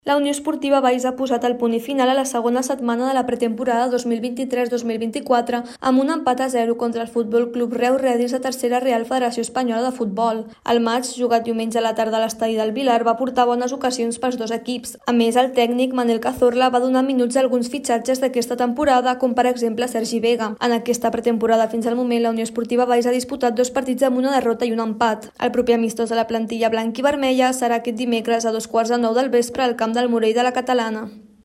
La Unió Esportiva Valls ha posat el punt i final a la segona setmana de la pretemporada 2023-2024 amb un empat a 0 contra el Futbol Club Reus Redis de Tercera Real Federació Espanyola de Futbol. El maig, jugat diumenge a la tarda a l'estadi del Vilar, va portar bones ocasions pels dos equips. A més, el tècnic Manel Cazorla va donar minuts a alguns fitxatges d'aquesta temporada, com per exemple Sergi Vega. En aquesta pretemporada fins al moment, la Unió Esportiva Valls ha disputat 2 partits amb una derrota i un empat. El proper amistós de la plantilla blanc i vermella serà aquest dimecres a 2:15 del vespre al camp del Morell de la Catalana.